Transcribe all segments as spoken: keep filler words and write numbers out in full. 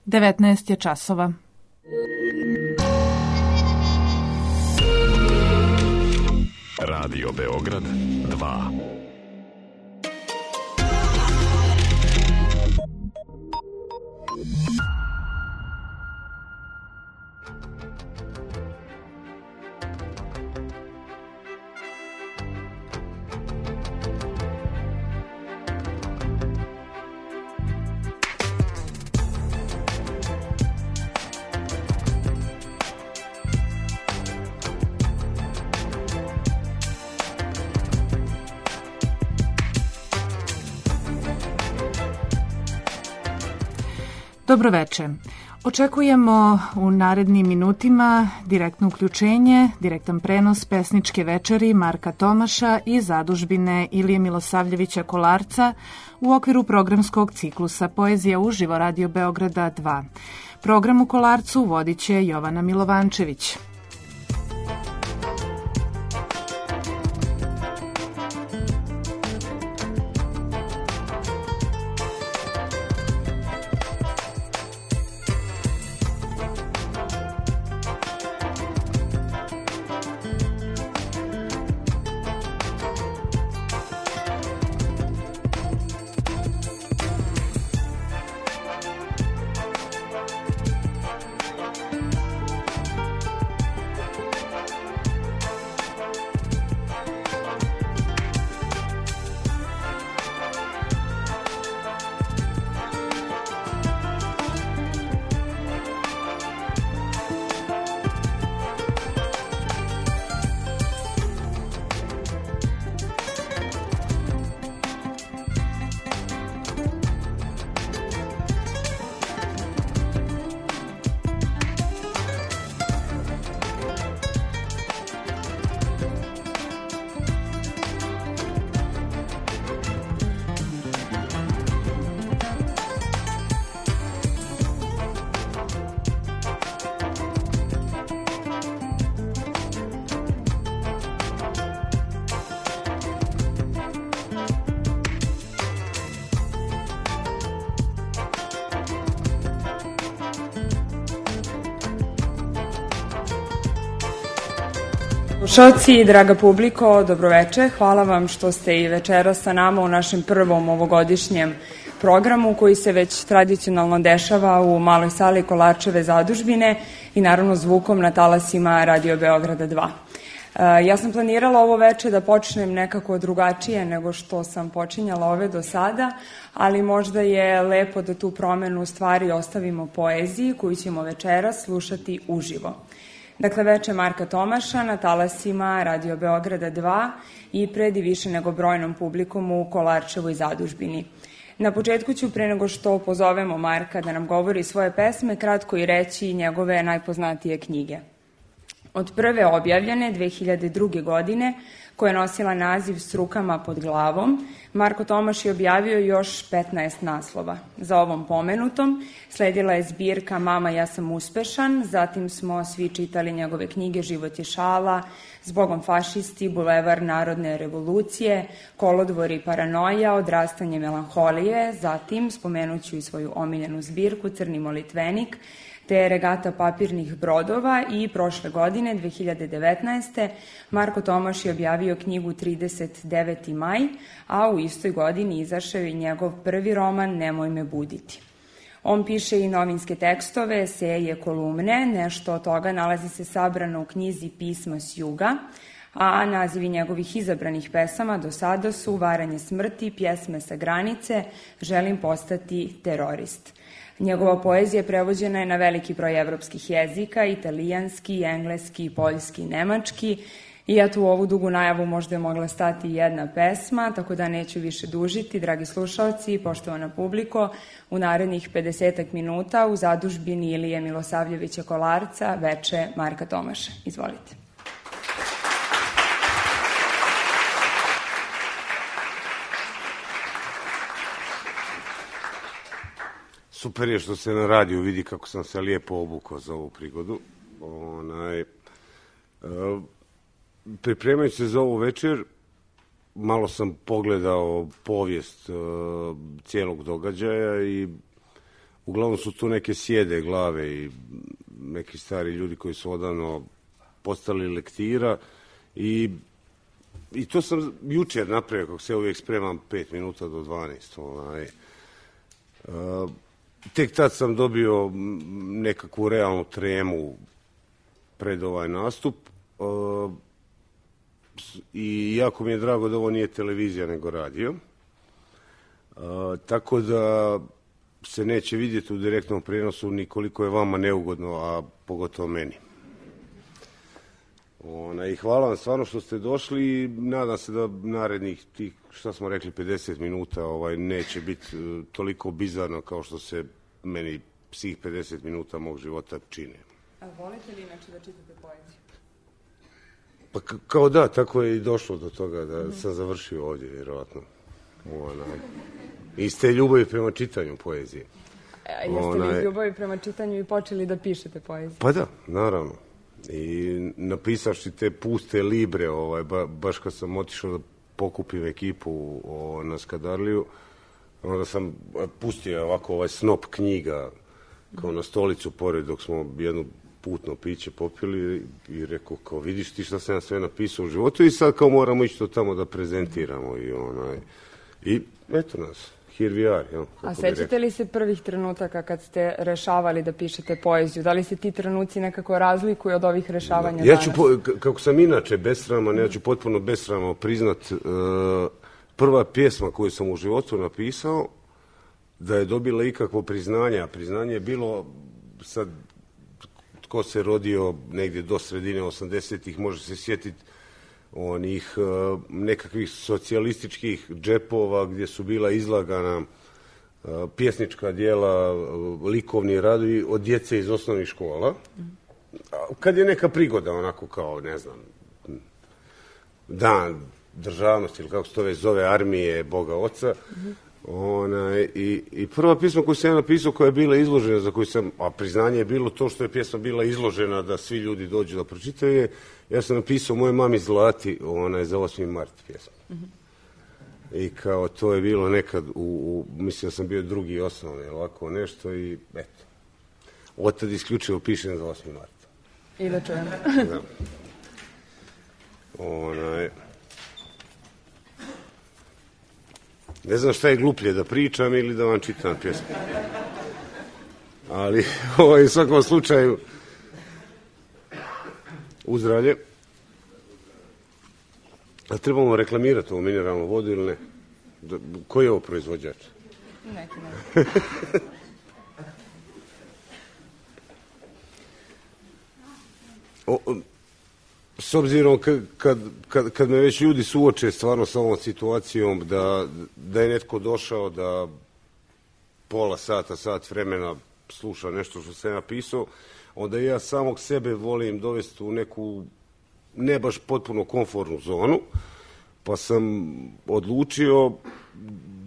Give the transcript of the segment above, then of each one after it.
devetnaest je časova. Radio Beograd dva. Dobroveče. Očekujemo u narednim minutima direktno uključenje, direktan prenos pesničke večeri Marka Tomaša i zadužbine Ilije Milosavljevića Kolarca u okviru programskog ciklusa Poezija uživo Radio Beograda dva. Program u Kolarcu vodit će Jovana Milovančević. Slušalci, draga publiko, dobroveče. Hvala vam što ste i večeras sa nama u našem prvom ovogodišnjem programu koji se već tradicionalno dešava u maloj sali Kolarčeve zadužbine i naravno zvukom na talasima Radio Beograda dva. Ja sam planirala ovo veče da počnem nekako drugačije nego što sam počinjala ove do sada, ali možda je lepo da tu promenu stvari ostavimo poeziji koju ćemo večeras slušati uživo. Dakle, veče Marka Tomaša na talasima Radio Beograda dva i pred i više nego brojnom publikom u Kolarčevoj zadužbini. Na početku ću, pre nego što pozovemo Marka da nam govori svoje pesme, kratko i reći njegove najpoznatije knjige. Od prve objavljene dve hiljade druge. godine, koja je nosila naziv S rukama pod glavom, Marko Tomaš je objavio još petnaest naslova. Za ovom pomenutom sledila je zbirka Mama, ja sam uspešan, zatim smo svi čitali njegove knjige Život je šala, Zbogom fašisti, Bulevar narodne revolucije, Kolodvor i paranoja, Odrastanje melanholije, zatim spomenuću i svoju omiljenu zbirku Crni molitvenik, te Regata papirnih brodova i prošle godine, dve hiljade devetnaeste. Marko Tomaš je objavio knjigu trideset deveti maj, a u istoj godini izašao i njegov prvi roman Nemoj me buditi. On piše i novinske tekstove, eseje, kolumne, nešto od toga nalazi se sabrano u knjizi Pisma s juga, a nazivi njegovih izabranih pesama do sada su Varanje smrti, Pjesme sa granice, Želim postati terorist. Njegova poezija prevođena je na veliki broj evropskih jezika, italijanski, engleski, poljski, nemački. I eto, u ovu dugu najavu možda je mogla stati jedna pesma, tako da neću više dužiti. Dragi slušalci i poštovana publiko, u narednih pedesetak minuta u zadužbini Ilije Milosavljevića Kolarca veče Marka Tomaša. Izvolite. Super je što se na radiju vidi kako sam se lijepo obukao za ovu prigodu. Onaj, uh, pripremajući se za ovu večer, malo sam pogledao povijest uh, cijelog događaja i uglavnom su tu neke sjede glave i neki stari ljudi koji su odavno postali lektira i, i to sam jučer napravio, kako se uvijek spremam pet minuta do dvanaest. Ovaj. Uh, tek tad sam dobio nekakvu realnu tremu pred ovaj nastup uh, i jako mi je drago da ovo nije televizija nego radio. Uh, tako da se neće vidjeti u direktnom prijenosu ni koliko je vama neugodno, a pogotovo meni. Ona, i hvala vam stvarno što ste došli i nadam se da narednih tih, šta smo rekli, pedeset minuta ovaj, neće biti uh, toliko bizarno kao što se meni svih pedeset minuta mog života čine. A volite li inače da čitate poeziju? Pa k- kao da, tako je i došlo do toga da mm-hmm. sam završio ovdje, vjerojatno. Ona, iz te ljubavi prema čitanju poezije. A jeste Ona, li iz ljubavi prema čitanju i počeli da pišete poeziju? Pa da, naravno. I napisavši te puste libre, ovaj, ba, baš kad sam otišao da pokupim ekipu o, na Skadarliju, onda sam pustio ovako ovaj snop knjiga kao na stolicu pored dok smo jedno putno piće popili i rekao kao vidiš ti šta sam ja sve napisao u životu i sad kao moramo ići to tamo da prezentiramo i onaj i eto nas, here we are. Jel, a sećate li se prvih trenutaka kad ste rešavali da pišete poeziju? Da li se ti trenuci nekako razlikuju od ovih rešavanja ja danas? Ću po, kako sam inače besraman, ja ću potpuno besramno priznat uh, prva pjesma koju sam u životu napisao da je dobila ikakvo priznanje, a priznanje je bilo sad tko se rodio negdje do sredine osamdesetih može se sjetiti onih uh, nekakvih socijalističkih džepova gdje su bila izlagana uh, pjesnička djela, uh, likovni radovi od djece iz osnovnih škola. Kad je neka prigoda, onako kao, ne znam, dan državnosti ili kako se to već zove, armije, Boga Oca. Mm-hmm. Ona, i, i prva pjesma koju sam ja napisao koja je bila izložena, za koju sam, a priznanje je bilo to što je pjesma bila izložena da svi ljudi dođu da pročitaju je, ja sam napisao Moje mami Zlati, ona je za osmi mart pjesma. Mm-hmm. I kao to je bilo nekad, u, u, mislim da sam bio drugi osnovni, ovako nešto i eto. Od tad isključivo pišem za osmi mart. I da čujem. Da. Ona je... Ne znam šta je gluplje, da pričam ili da vam čitam pjesmu. Ali ovaj, u svakom slučaju uzdravlje. A trebamo reklamirati ovu mineralnu vodu ili ne? Koji je ovo proizvođač? Neki ne. o, o, S obzirom kad, kad, kad, kad me već ljudi suoče stvarno sa ovom situacijom da, da je netko došao da pola sata, sat vremena sluša nešto što sam napisao, onda ja samog sebe volim dovesti u neku ne baš potpuno komfortnu zonu, pa sam odlučio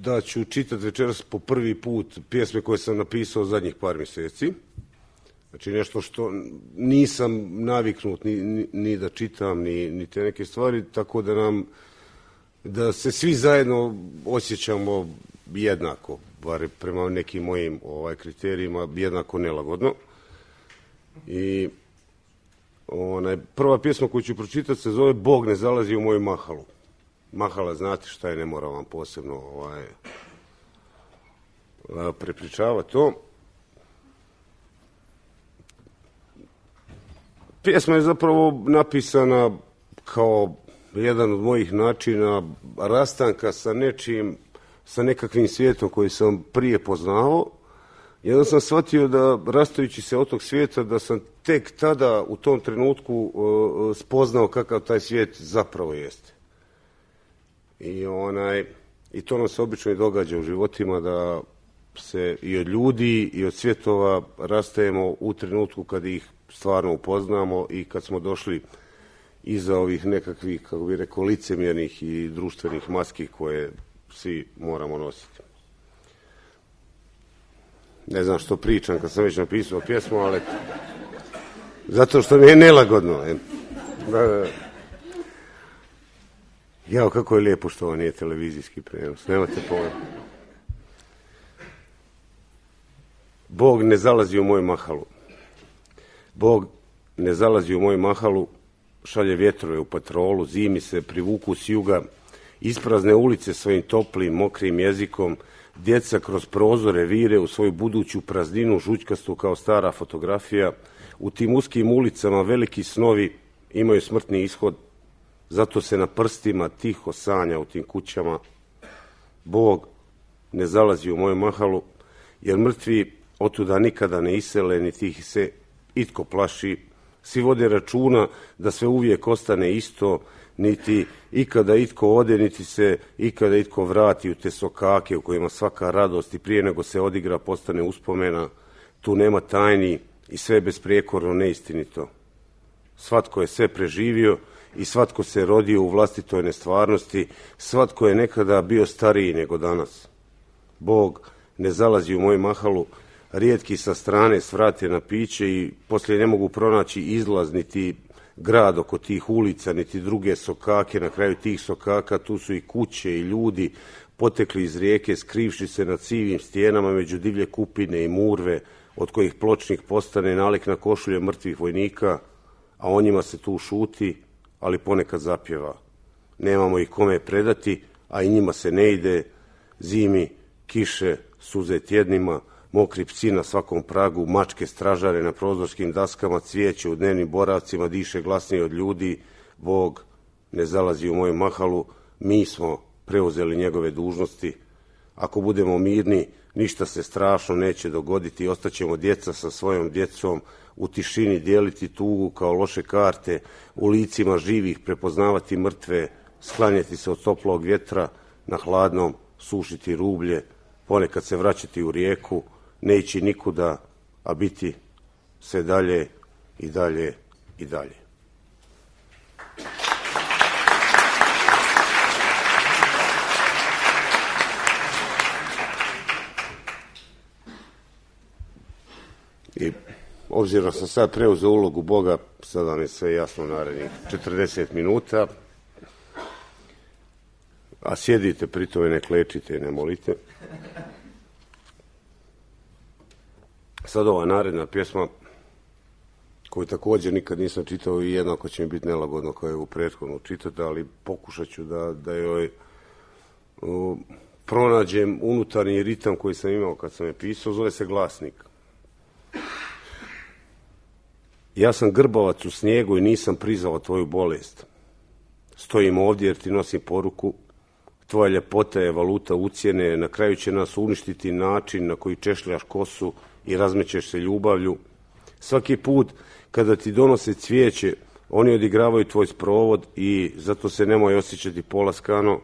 da ću čitati večeras po prvi put pjesme koje sam napisao zadnjih par mjeseci. Znači nešto što nisam naviknut ni, ni, ni da čitam, ni, ni te neke stvari, tako da nam, da se svi zajedno osjećamo jednako, bar prema nekim mojim ovaj, kriterijima, jednako nelagodno. I onaj, prva pjesma koju ću pročitati se zove Bog ne zalazi u moju mahalu. Mahala, znate šta je, ne moram vam posebno ovaj, prepričavati to. Pjesma je zapravo napisana kao jedan od mojih načina rastanka sa nečim, sa nekakvim svijetom koji sam prije poznao. Jedan sam shvatio da, rastajući se od tog svijeta, da sam tek tada u tom trenutku uh, spoznao kakav taj svijet zapravo jeste. I, onaj, i to nam se obično i događa u životima, da se i od ljudi i od svjetova rastajemo u trenutku kad ih stvarno upoznamo i kad smo došli iza ovih nekakvih, kako bi rekao, licemjernih i društvenih maski koje svi moramo nositi. Ne znam što pričam kad sam već napisao pjesmu, ali zato što mi je nelagodno. Da, da. Jao, kako je lijepo što ovo nije televizijski prenos. Nemate pojma. Bog ne zalazi u moju mahalu. Bog ne zalazi u moju mahalu, šalje vjetrove u patrolu, zimi se privuku s juga, isprazne ulice svojim toplim, mokrim jezikom, djeca kroz prozore vire u svoju buduću prazninu žućkastu kao stara fotografija. U tim uskim ulicama veliki snovi imaju smrtni ishod, zato se na prstima tiho sanja u tim kućama. Bog ne zalazi u moju mahalu, jer mrtvi otuda nikada ne isele, niti ih se itko plaši. Svi vode računa da sve uvijek ostane isto, niti ikada itko ode, niti se ikada itko vrati u te sokake u kojima svaka radost i prije nego se odigra postane uspomena. Tu nema tajni i sve je besprijekorno neistinito. Svatko je sve preživio i svatko se rodio u vlastitoj nestvarnosti, svatko je nekada bio stariji nego danas. Bog ne zalazi u moju mahalu, rijetki sa strane svrate na piće i poslije ne mogu pronaći izlaz, niti grad oko tih ulica, niti druge sokake. Na kraju tih sokaka tu su i kuće i ljudi potekli iz rijeke, skrivši se na civim stijenama među divlje kupine i murve, od kojih pločnik postane nalik na košulje mrtvih vojnika, a o njima se tu šuti, ali ponekad zapjeva. Nemamo ih kome predati, a i njima se ne ide. Zimi, kiše, suze tjednima, mokri psi na svakom pragu, mačke stražare na prozorskim daskama, cvijeće u dnevnim boravcima diše glasnije od ljudi. Bog ne zalazi u moju mahalu, mi smo preuzeli njegove dužnosti. Ako budemo mirni, ništa se strašno neće dogoditi, ostaćemo djeca sa svojom djecom, u tišini dijeliti tugu kao loše karte, u licima živih prepoznavati mrtve, sklanjati se od toplog vjetra, na hladnom sušiti rublje, ponekad se vraćati u rijeku, ne ići nikuda, a biti sve dalje i dalje i dalje. I obzirom sam sad preuzeo ulogu Boga, sad vam je sve jasno narednih četrdeset minuta, a sjedite pri tome, ne klečite i ne molite. Sad ova naredna pjesma, koju također nikad nisam čitao i jednako će mi biti nelagodno kao je u prethodnu čitati, ali pokušat ću da, da joj uh, pronađem unutarnji ritam koji sam imao kad sam je pisao, zove se Glasnik. Ja sam grbavac u snijegu i nisam prizvao tvoju bolest. Stojim ovdje jer ti nosim poruku. Tvoja ljepota je valuta ucjene, na kraju će nas uništiti način na koji češljaš kosu i razmećeš se ljubavlju. Svaki put kada ti donose cvijeće, oni odigravaju tvoj sprovod i zato se nemoj osjećati polaskano.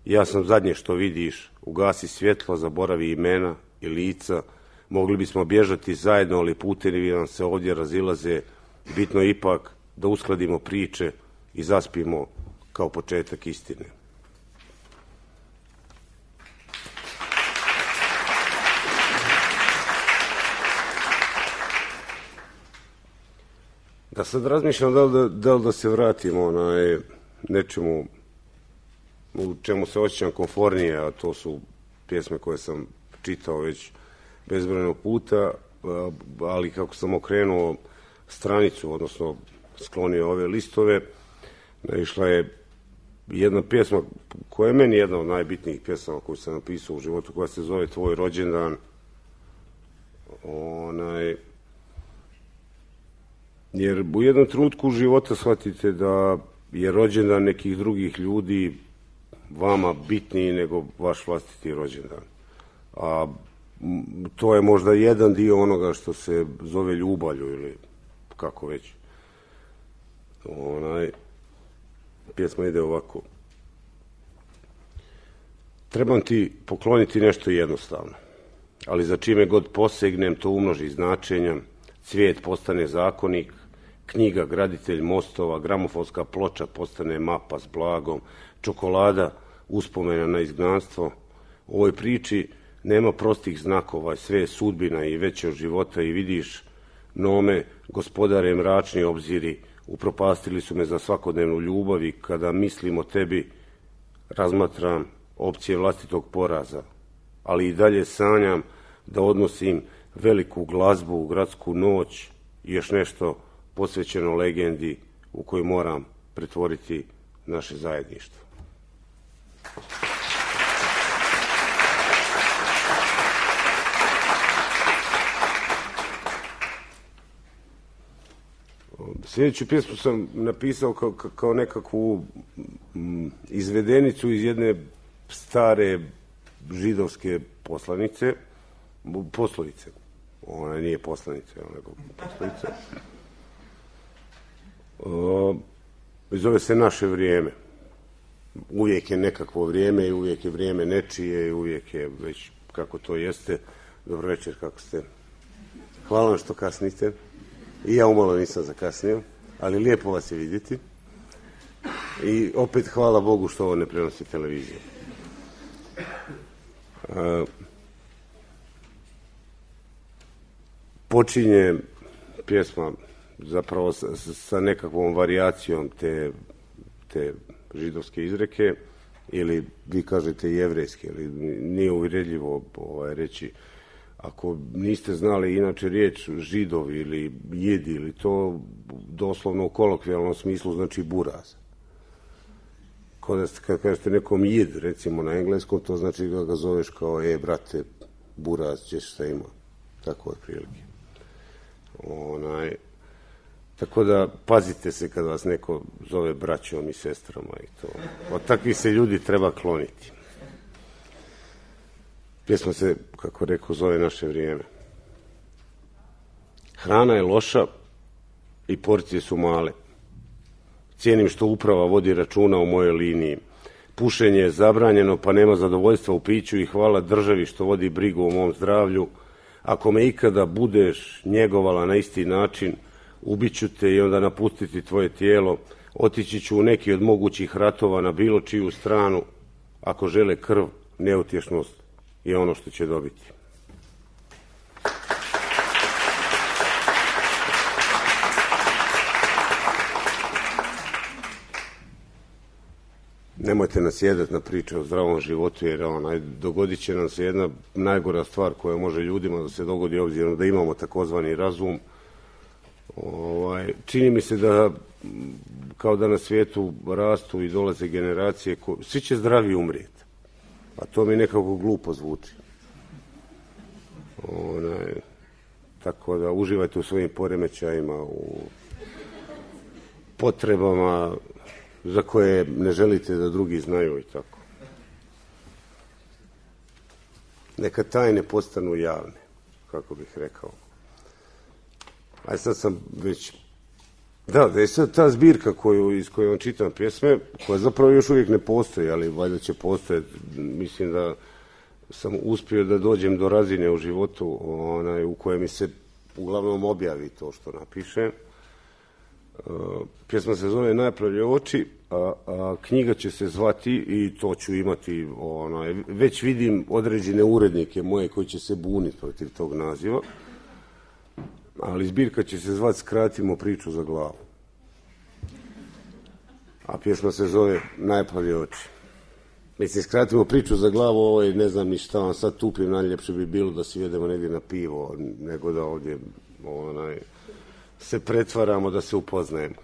Ja sam zadnje što vidiš, ugasi svjetlo, zaboravi imena i lica. Mogli bismo bježati zajedno, ali putevi nam se ovdje razilaze. Bitno je ipak da uskladimo priče i zaspimo kao početak istine. Da sad razmišljam da li da, da, li da se vratimo onaj nečemu u čemu se osjećam konfornije, a to su pjesme koje sam čitao već bezbrojno puta, ali kako sam okrenuo stranicu, odnosno sklonio ove listove, naišla je jedna pjesma koja je meni jedna od najbitnijih pjesama koju sam napisao u životu, koja se zove Tvoj rođendan. Onaj, jer u jednom trenutku života shvatite da je rođendan nekih drugih ljudi vama bitniji nego vaš vlastiti rođendan. A to je možda jedan dio onoga što se zove ljubavlju ili kako već. Onaj, pjesma ide ovako. Trebam ti pokloniti nešto jednostavno, ali za čime god posegnem to umnoži značenja. Cvijet postane zakonik, knjiga graditelj mostova, gramofonska ploča postane mapa s blagom, čokolada uspomena na izgnanstvo. U ovoj priči nema prostih znakova, sve je sudbina i veće od života i vidiš, nome, gospodare mračni obziri, upropastili su me za svakodnevnu ljubav i kada mislim o tebi, razmatram opcije vlastitog poraza, ali i dalje sanjam da odnosim veliku glazbu, gradsku noć i još nešto posvećeno legendi u koju moram pretvoriti naše zajedništvo. Sljedeću pjesmu sam napisao kao, kao nekakvu izvedenicu iz jedne stare židovske poslanice, poslovice. Ona nije poslanica, nego poslovica. I zove se Naše vrijeme. Uvijek je nekakvo vrijeme i uvijek je vrijeme nečije i uvijek je već kako to jeste. Dobro večer, kako ste? Hvala vam što kasnite. I ja umalo nisam zakasnio, ali lijepo vas je vidjeti. I opet hvala Bogu što ovo ne prenosi televizija. Uh, počinje pjesma zapravo sa, sa nekakvom varijacijom te, te židovske izreke, ili vi kažete jevrejske, ili nije uvredljivo ovaj, reći. Ako niste znali inače riječ židovi ili jidi, ili to doslovno u kolokvijalnom smislu znači buraz. Kad kažete nekom jid, recimo na engleskom, to znači da ga zoveš kao, e, brate, buraz, ćeš šta ima. Tako je prilike. Onaj, tako da pazite se kad vas neko zove braćom i sestrama i to. Od takvih se ljudi treba kloniti. Pjesma se, kako rekao, zove Naše vrijeme. Hrana je loša i porcije su male. Cijenim što uprava vodi računa u mojoj liniji. Pušenje je zabranjeno, pa nema zadovoljstva u piću i hvala državi što vodi brigu o mom zdravlju. Ako me ikada budeš njegovala na isti način, ubiću te i onda napustiti tvoje tijelo. Otići ću u neki od mogućih ratova na bilo čiju stranu. Ako žele krv, neutješnost je ono što će dobiti. Nemojte nasjedati na priče o zdravom životu, jer onaj, dogodit će nam se jedna najgora stvar koja može ljudima da se dogodi, obzirom da imamo takozvani razum. Ovaj, čini mi se da kao da na svijetu rastu i dolaze generacije, ko, svi će zdravi umrijeti. A to mi nekako glupo zvuči. Onaj, tako da uživajte u svojim poremećajima, u potrebama za koje ne želite da drugi znaju i tako. Neka tajne postanu javne, kako bih rekao. A sad sam već... Da, da je sad ta zbirka koju, iz koje vam čitam pjesme, koja zapravo još uvijek ne postoji, ali valjda će postojati. Mislim da sam uspio da dođem do razine u životu onaj, u kojoj mi se uglavnom objavi to što napiše. Uh, pjesma se zove Najplavlje oči, a, a knjiga će se zvati, i to ću imati, onaj, već vidim određene urednike moje koji će se buniti protiv tog naziva, ali zbirka će se zvati Skratimo priču za glavu. A pjesma se zove Najplavlje oči. Mislim, skratimo priču za glavu, ovo je, ne znam ni šta vam sad tupim, najljepše bi bilo da sjedemo negdje na pivo, nego da ovdje onaj, se pretvaramo da se upoznajemo.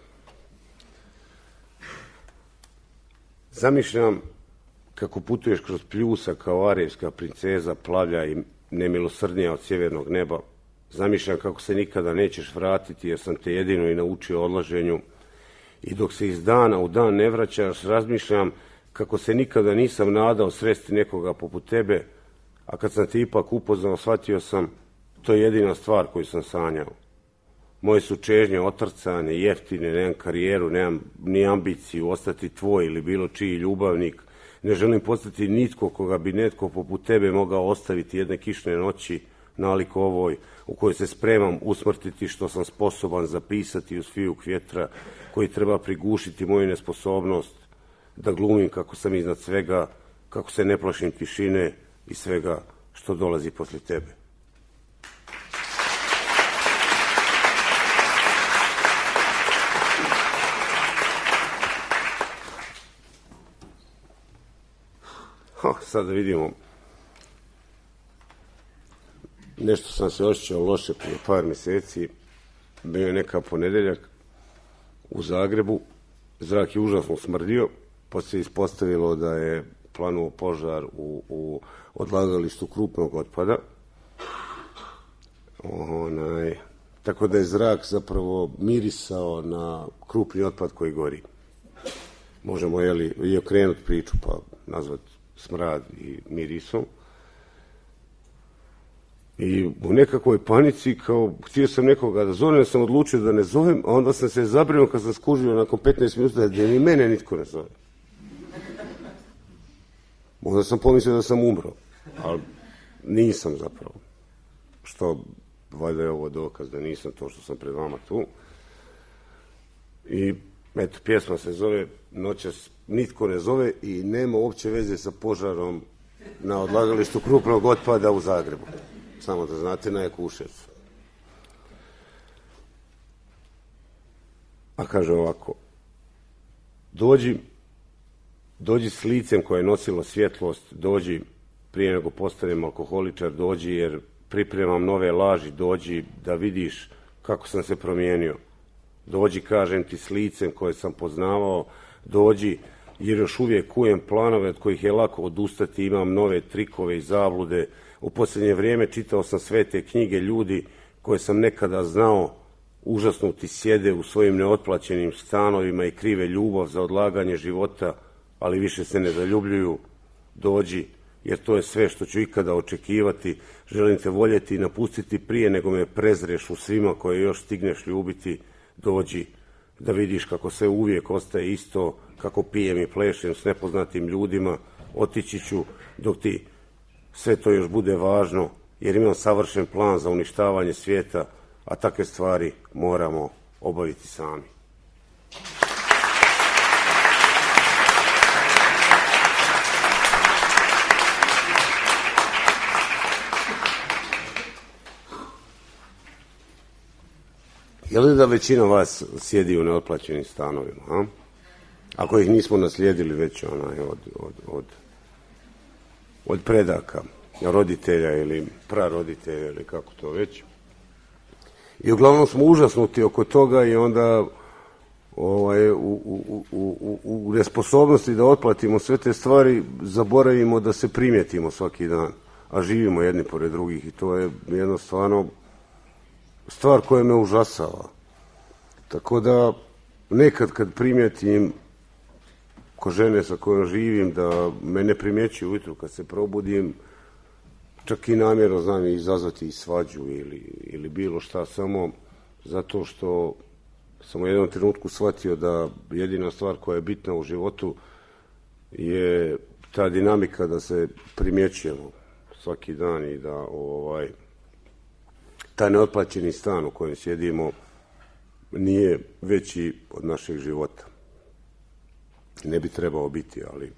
Zamišljam kako putuješ kroz pljusa kao arejska princeza, plavlja i nemilosrdnija od sjevernog neba. Zamišljam kako se nikada nećeš vratiti jer sam te jedino i naučio odlaženju. I dok se iz dana u dan ne vraćaš, razmišljam kako se nikada nisam nadao sresti nekoga poput tebe, a kad sam te ipak upoznao, shvatio sam, to je jedina stvar koju sam sanjao. Moje su čežnje otrcane, jeftine, nemam karijeru, nemam ni ambiciju ostati tvoj ili bilo čiji ljubavnik. Ne želim postati nitko koga bi netko poput tebe mogao ostaviti jedne kišne noći, nalik ovoj, u kojoj se spremam usmrtiti što sam sposoban zapisati uz fijuk vjetra, koji treba prigušiti moju nesposobnost da glumim kako sam iznad svega, kako se ne plašim tišine i svega što dolazi poslije tebe. Ha, sad da vidimo. nešto sam se osjećao loše prije par mjeseci. Bio je neka ponedeljak u Zagrebu, zrak je užasno smrdio, pa se ispostavilo da je planuo požar u, u odlagalištu krupnog otpada. Onaj, tako da je zrak zapravo mirisao na krupni otpad koji gori. Možemo jeli, i okrenuti priču pa nazvati smrad i mirisom. I u nekakvoj panici, kao htio sam nekoga da zovem, sam odlučio da ne zovem, a onda sam se zabrinuo kad sam skužio nakon petnaest minuta da ni mene nitko ne zove. Onda sam pomislio da sam umro, ali nisam zapravo. Što, valjda je ovo dokaz da nisam to što sam pred vama tu. I eto, pjesma se zove Noćas nitko ne zove i nema uopće veze sa požarom na odlagalištu krupnog otpada u Zagrebu. Samo da znate, na Jakuševcu. A kaže ovako, dođi, dođi s licem koje je nosilo svjetlost, dođi prije nego postanem alkoholičar, dođi jer pripremam nove laži, dođi da vidiš kako sam se promijenio. Dođi, kažem ti, s licem koje sam poznavao, dođi jer još uvijek kujem planove od kojih je lako odustati, imam nove trikove i zablude. U posljednje vrijeme čitao sam sve te knjige, ljudi koje sam nekada znao užasnuti sjede u svojim neotplaćenim stanovima i krive ljubav za odlaganje života, ali više se ne zaljubljuju. Dođi, jer to je sve što ću ikada očekivati. Želim te voljeti i napustiti prije nego me prezreš u svima koje još stigneš ljubiti. Dođi, da vidiš kako sve uvijek ostaje isto, kako pijem i plešem s nepoznatim ljudima. Otići ću dok ti sve to još bude važno, jer imam savršen plan za uništavanje svijeta, a takve stvari moramo obaviti sami. Je li da većina vas sjedi u neotplaćenim stanovima, a? Ako ih nismo naslijedili već onaj od, od, od, od predaka, roditelja ili praroditelja ili kako to već. I uglavnom smo užasnuti oko toga i onda ovaj, u, u, u, u, u nesposobnosti da otplatimo sve te stvari zaboravimo da se primijetimo svaki dan, a živimo jedni pored drugih i to je jednostavno stvar koja me užasava. Tako da nekad kad primijetim ko žene sa kojom živim da me ne primjećuju ujutru kad se probudim, čak i namjerno znam izazvati i svađu ili, ili bilo šta, samo zato što sam u jednom trenutku shvatio da jedina stvar koja je bitna u životu je ta dinamika da se primjećujemo svaki dan i da ovaj, taj neotplaćeni stan u kojem sjedimo nije veći od našeg života. Ne bi trebao biti, ali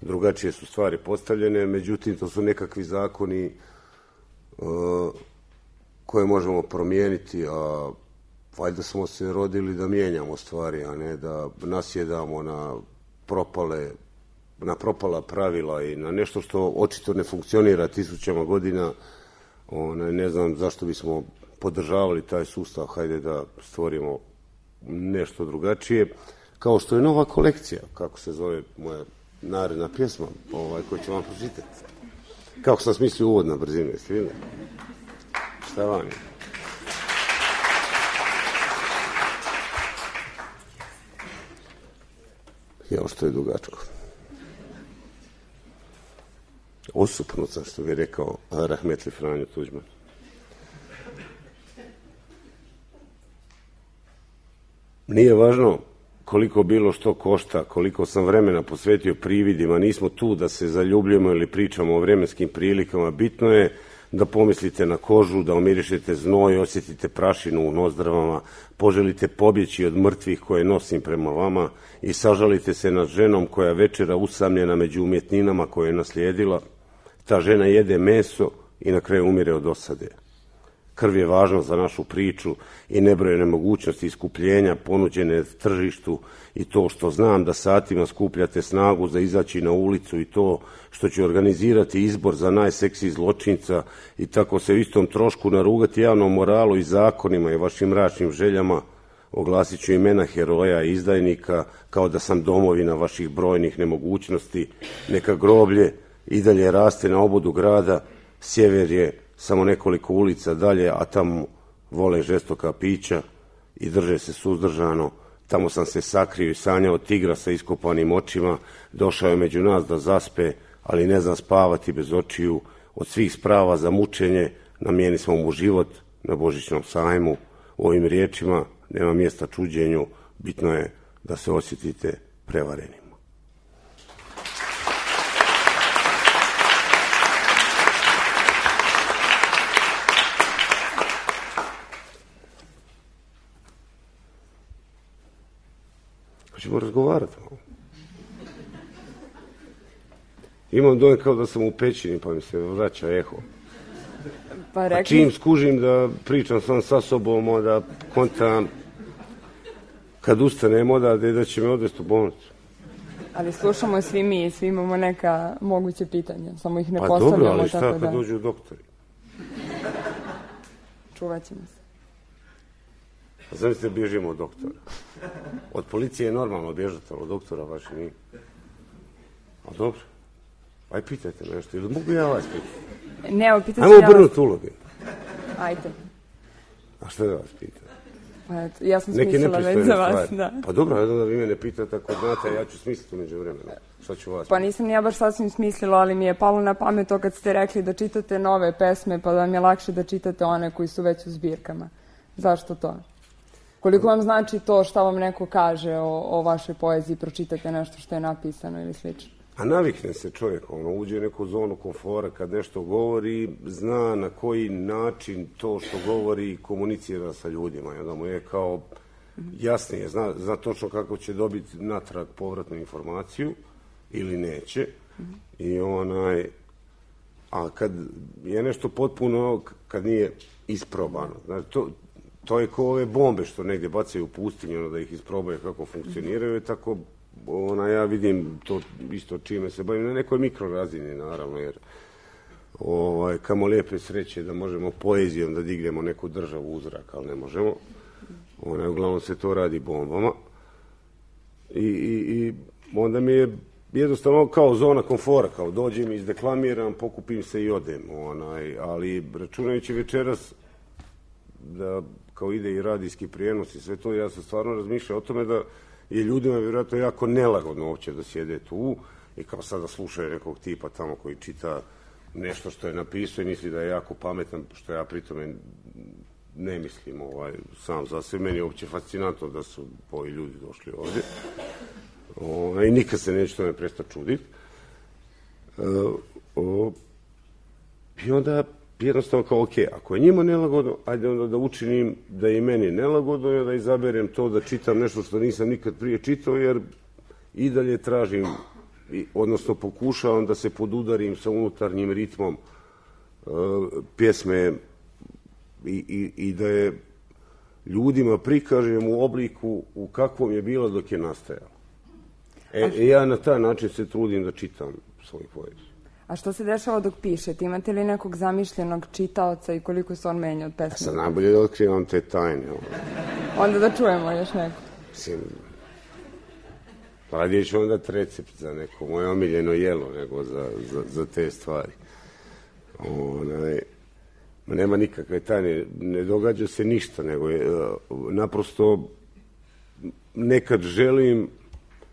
drugačije su stvari postavljene, međutim to su nekakvi zakoni uh, koje možemo promijeniti, a valjda smo se rodili da mijenjamo stvari, a ne da nasjedamo na propale, na propala pravila i na nešto što očito ne funkcionira tisućama godina. Ona, ne znam zašto bismo podržavali taj sustav, hajde da stvorimo nešto drugačije, kao što je nova kolekcija, kako se zove moja naredna pjesma, ovaj, koju ću vam pročitati. Kako sam smislio uvod na brzinu, jeste vidjeli? Šta vam je? Jao, što je dugačko. Osupnut sam, što bi rekao rahmetli Franjo Tuđman. Nije važno koliko bilo što košta, koliko sam vremena posvetio prividima, nismo tu da se zaljubljujemo ili pričamo o vremenskim prilikama, bitno je da pomislite na kožu, da omirišete znoj, osjetite prašinu u nozdravama, poželite pobjeći od mrtvih koje nosim prema vama i sažalite se nad ženom koja večera usamljena među umjetninama koje je naslijedila. Ta žena jede meso i na kraju umire od osade. krv je važna za našu priču i nebrojene mogućnosti iskupljenja ponuđene tržištu i to što znam da satima skupljate snagu za izaći na ulicu i to što ću organizirati izbor za najseksiji zločinca i tako se u istom trošku narugati javnom moralu i zakonima i vašim mračnim željama, oglasit ću imena heroja i izdajnika kao da sam domovina vaših brojnih nemogućnosti. Neka groblje i dalje raste na obodu grada, sjever je samo nekoliko ulica dalje, a tamo vole žestoka pića i drže se suzdržano. Tamo sam se sakrio i sanjao tigra sa iskopanim očima, došao je među nas da zaspe, ali ne zna spavati bez očiju. Od svih sprava za mučenje namijeni smo mu život na božićnom sajmu. U ovim riječima nema mjesta čuđenju, bitno je da se osjetite prevarenim. Hoćemo razgovarati. Imam dojem kao da sam u pećini, pa mi se vraća eho. Pa, rekli... A čim skužim da pričam sam sa sobom, onda kontam kad ustanem odavde da će me odvesti u bolnicu. Ali slušamo svi mi, svi imamo neka moguće pitanja, samo ih ne pa postavljamo. Pa dobro, ali šta tako kad da... dođu doktori? Čuvat ćemo se. A zamislite, bježimo od doktora. Od policije je normalno bježati, ali od doktora baš nije. A dobro. Aj, pitajte nešto. Ili mogu ja vas pitati? Ne, evo, pitat ću Ajmo ja obrnuti uloge. Ajde. A što da vas pitam? Pa eto, ja sam smislila već za vas. Da. Pa dobro, jedno da vi me ne pitate, ako znate, ja ću smisliti među vremena. Šta ću vas Pa nisam ni ja baš sasvim smislila, ali mi je palo na pamet to kad ste rekli da čitate nove pesme, pa da vam je lakše da čitate one koji su već u zbirkama. Zašto to? Koliko vam znači to šta vam neko kaže o, o vašoj poeziji, pročitate nešto što je napisano ili slično? A navikne se čovjek, ono, uđe u neku zonu komfora kad nešto govori, zna na koji način to što govori komunicira sa ljudima. I onda mu je kao jasnije, zna, zna točno kako će dobiti natrag povratnu informaciju ili neće. I onaj, a kad je nešto potpuno, kad nije isprobano, znači to, to je kao ove bombe što negdje bacaju u pustinju, ono, da ih isprobaju kako funkcioniraju, tako ona, ja vidim to isto čime se bavim, na nekoj mikrorazini naravno, jer ovaj, kamo lijepe sreće da možemo poezijom da dignemo neku državu u zrak, ali ne možemo. Ona, uglavnom se to radi bombama. I, i, i onda mi je jednostavno kao zona komfora, kao dođem, izdeklamiram, pokupim se i odem. Onaj, ali računajući večeras da kao ide i radijski prijenos i sve to, ja sam stvarno razmišljao o tome da je ljudima vjerojatno jako nelagodno uopće da sjede tu i kao sada slušaju nekog tipa tamo koji čita nešto što je napisao i misli da je jako pametan, što ja pritome ne mislim ovaj, sam za sve. Meni je uopće fascinantno da su ovi ljudi došli ovdje. O, i nikad se neće tome prestati čuditi. E, o, I onda jednostavno kao, ok, ako je njima nelagodno, ajde onda da učinim da je i meni nelagodno i da izaberem to da čitam nešto što nisam nikad prije čitao, jer i dalje tražim, odnosno pokušavam da se podudarim sa unutarnjim ritmom uh, pjesme i, i, i da je ljudima prikažem u obliku u kakvom je bila dok je nastajala. E, e, ja na taj način se trudim da čitam svoju poeziju. A što se dešava dok pišete? Imate li nekog zamišljenog čitaoca i koliko se on menja od pesme? Ja sam najbolje da otkrivam te tajne. Onda da čujemo još neko. Mislim, radije ću onda recept za neko moje omiljeno jelo nego za, za, za te stvari. Onaj, nema nikakve tajne, ne događa se ništa, nego je, naprosto nekad želim.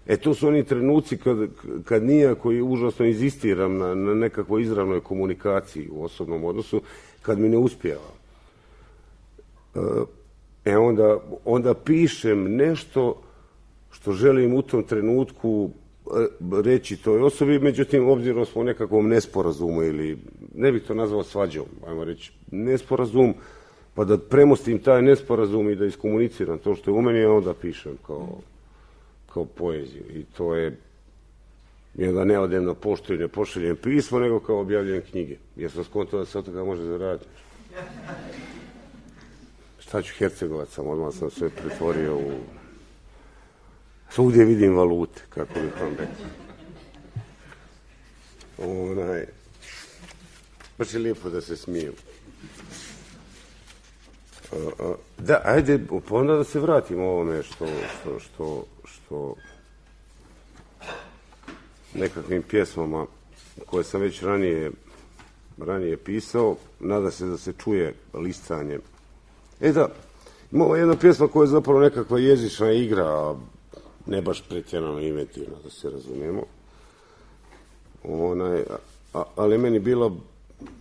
E, to su oni trenuci kad, kad nijako i užasno inzistiram na, na nekakvoj izravnoj komunikaciji u osobnom odnosu, kad mi ne uspijeva. E, onda, onda pišem nešto što želim u tom trenutku reći toj osobi, međutim, obzirom smo u nekakvom nesporazumu ili, ne bih to nazvao svađom, ajmo reći, nesporazum, pa da premostim taj nesporazum i da iskomuniciram to što je u meni, a onda pišem kao... kao poeziju. I to je, jer da ne odem na poštu i ne pošaljem pismo, nego kao objavljujem knjige. Jer sam skontao da se od toga može zaraditi. šta ću Hercegovac sam, odmah sam sve pretvorio u... Svugdje vidim valute, kako bih vam rekao. Onaj... Baš je lijepo da se smiju. Da, ajde, pa onda da se vratimo ovome što, što, što, što nekakvim pjesmama koje sam već ranije, ranije pisao, nada se da se čuje listanje. E da, imamo jedna pjesma koja je zapravo nekakva jezična igra, a ne baš pretjerano inventivna, da se razumijemo. Onaj, a, ali meni bila